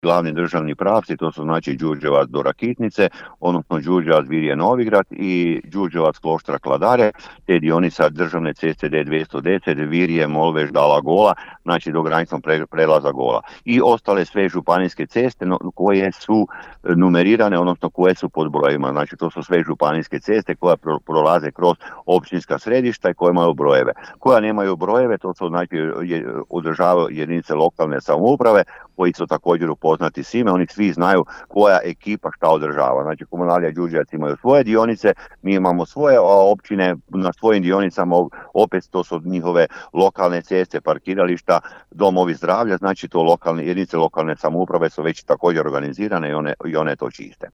glavni državni pravci, to su znači Đurđevac do Rakitnice, odnosno Đurđevac Virje Novigrad i Đurđevac Kloštra Kladare, te dionica državne ceste D210 Virje Molveš Dala Gola, znači do graničnog prelaza Gola. I ostale sve županijske ceste koje su numerirane, odnosno koje su pod brojevima. Znači to su sve županijske ceste koje prolaze kroz općinska središta i koje imaju brojeve. Koja nemaju brojeve, to su znači održavaju jedinice lokalne samouprave koji su također upoznati s ime, oni svi znaju koja ekipa šta održava. Znači Komunalija Đurđevac imaju svoje dionice, mi imamo svoje, a općine na svojim dionicama opet to su njihove lokalne ceste, parkirališta, domovi zdravlja, znači to jedinice lokalne samouprave su već također organizirane i one to čiste.